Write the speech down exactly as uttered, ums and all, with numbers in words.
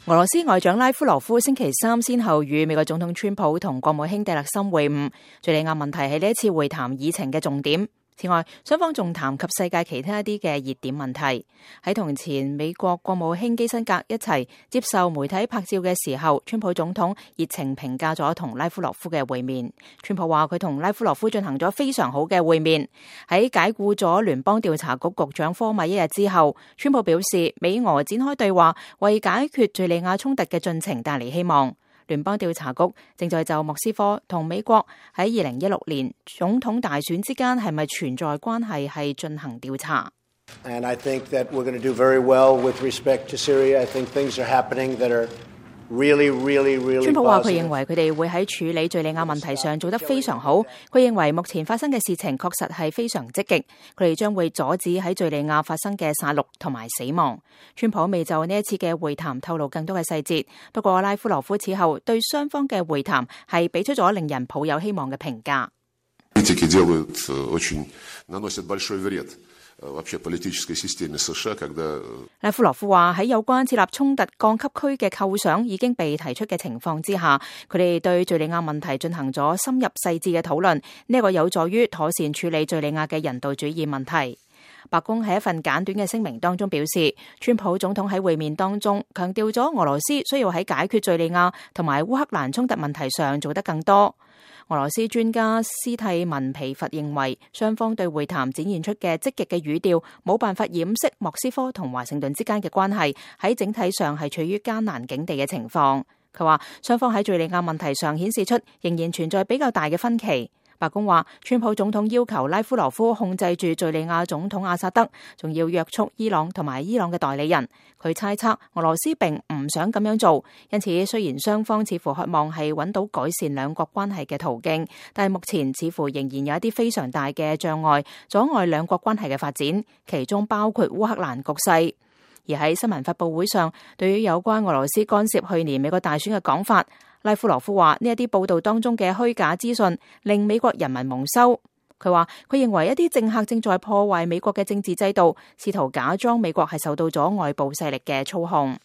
俄羅斯外長拉夫羅夫星期三先後與美國總統川普同國務卿蒂勒森會晤，敘利亞問題係呢一次會談議程嘅重點。此外，雙方仲談及世界其他一啲嘅熱點問題。喺同前美國國務卿基辛格一齊接受媒體拍照嘅時候，川普總統熱情評價咗同拉夫羅夫嘅會面。川普話佢同拉夫羅夫進行咗非常好嘅會面。喺解雇咗聯邦調查局局長科米一日之後，川普表示美俄展開對話，為解決敘利亞衝突嘅進程帶嚟希望。聯邦調查局正在就莫斯科同美國喺二零一六年總統大選之間係咪存在關係係進行調查。And I think that we're going to do very well with respect to Syria. I think things are happening that are really, really, really positive. 川普話佢認為佢哋會喺處理敘利亞問題上做得非常好。佢認為目前發生嘅事情確實係非常積極，佢哋將會阻止喺敘利亞發生嘅殺戮同埋死亡。川普未就呢一次嘅會談透露更多嘅細節，不過拉夫羅夫此後對雙方嘅會談係俾出咗令人抱有希望嘅評價。拉夫羅夫話喺有關設立衝突降級區嘅構想已經被提出嘅情況之下，佢哋對敘利亞問題進行咗深入細緻嘅討論，呢個有助於妥善處理敘利亞嘅人道主義問題。白宮喺一份簡短嘅聲明當中表示，川普總統喺會面當中強調咗俄羅斯需要喺解決敘利亞同埋烏克蘭衝突問題上做得更多。俄羅斯專家斯蒂文皮佛認為，雙方對會談展現出嘅積極嘅語調，冇辦法掩飾莫斯科同華盛頓之間嘅關係喺整體上係處於艱難境地嘅情況。佢話，雙方喺敘利亞問題上顯示出仍然存在比較大嘅分歧。白宮話，川普總統要求拉夫羅夫控制住敘利亞總統阿薩德，仲要約束伊朗同埋伊朗嘅代理人。佢猜測俄羅斯並唔想咁樣做，因此雖然雙方似乎渴望係揾到改善兩國關係嘅途徑，但係目前似乎仍然有一啲非常大嘅障礙，阻礙兩國關係嘅發展，其中包括烏克蘭局勢。而喺新聞發佈會上，對於有關俄羅斯干涉去年美國大選嘅講法，拉夫羅夫話呢一啲報道當中嘅虛假資訊令美國人民蒙羞。佢話佢認為一啲政客正在破壞美國嘅政治制度，試圖假裝美國係受到咗外部勢力嘅操控。